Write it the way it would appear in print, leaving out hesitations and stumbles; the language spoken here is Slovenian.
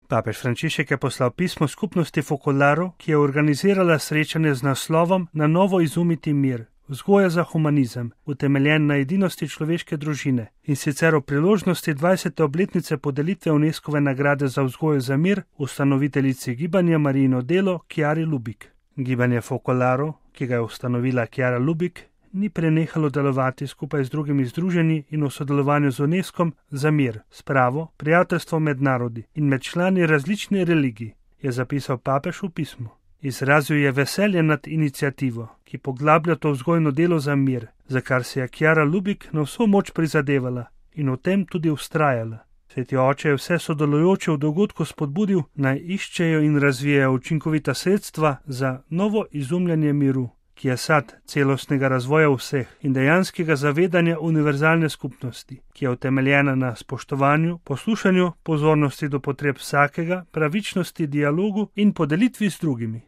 Papež Frančišek je poslal pismo skupnosti Focolare, ki je organizirala srečanje z naslovom Na novo izumiti mir, vzgoja za humanizem, utemeljen na edinosti človeške družine, in sicer o priložnosti 20. obletnice podelitve UNESCOve nagrade za vzgojo za mir ustanoviteljici gibanja Marijino delo Chiari Lubich. Gibanje Focolare, ki ga je ustanovila Chiara Lubich, ni prenehalo delovati skupaj z drugimi združenji in v sodelovanju z UNESCOm za mir, spravo, prijateljstvo med narodi in med člani različnih religij, je zapisal papež v pismu. Izrazil je veselje nad iniciativo, ki poglablja to vzgojno delo za mir, za kar se je Chiara Lubich na vso moč prizadevala in v tem tudi vztrajala. Sveti oče je vse sodelujoče v dogodku spodbudil, naj iščejo in razvijajo učinkovita sredstva za novo izumljanje miru, ki je sad celostnega razvoja vseh in dejanskega zavedanja univerzalne skupnosti, ki je utemeljena na spoštovanju, poslušanju, pozornosti do potreb vsakega, pravičnosti, dialogu in podelitvi z drugimi.